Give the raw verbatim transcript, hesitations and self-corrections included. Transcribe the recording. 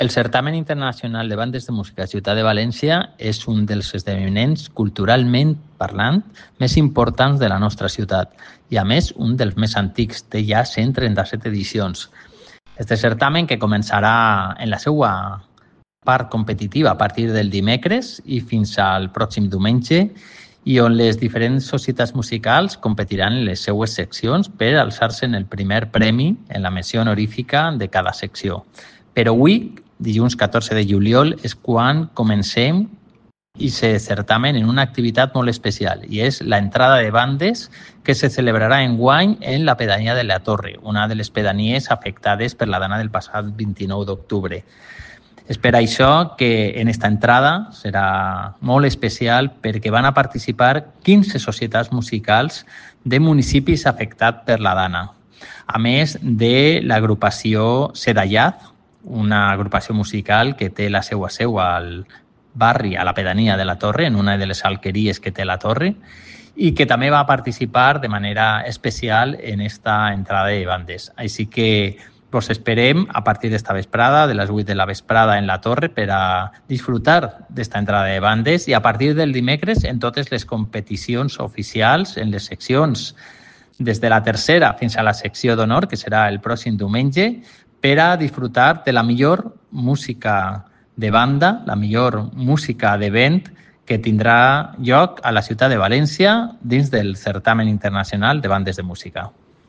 El Certamen Internacional de Bandes de Música Ciutat de València és un dels esdeveniments culturalment parlant més importants de la nostra ciutat i, a més, un dels més antics. Té ja cent trenta-set edicions. Este certamen, que començarà en la seva part competitiva a partir del dimecres i fins al pròxim diumenge, i on les diferents societats musicals competiran en les seues seccions per alçar-se en el primer premi en la menció honorífica de cada secció. Però avui, dilluns catorze de juliol, és quan comencem i se certamen en una activitat molt especial, i és la entrada de bandes que se celebrarà enguany en la pedania de la Torre, una de les pedanies afectades per la dana del passat vint-i-nou d'octubre. És per això que en esta entrada serà molt especial perquè van a participar quinze societats musicals de municipis afectats per la dana, a més de l'agrupació Sedallat, una agrupació musical que té la seva seu al barri, a la pedania de la Torre, en una de les alqueries que té la Torre, i que també va participar de manera especial en esta entrada de bandes. Així que vos esperem a partir d'esta vesprada, de les vuit de la vesprada en la Torre, per a disfrutar d'esta entrada de bandes, i a partir del dimecres en totes les competicions oficials, en les seccions des de la tercera fins a la secció d'honor, que serà el pròxim diumenge, per a disfrutar de la millor música de banda, la millor música d'event que tindrà lloc a la ciutat de València dins del Certamen Internacional de Bandes de Música.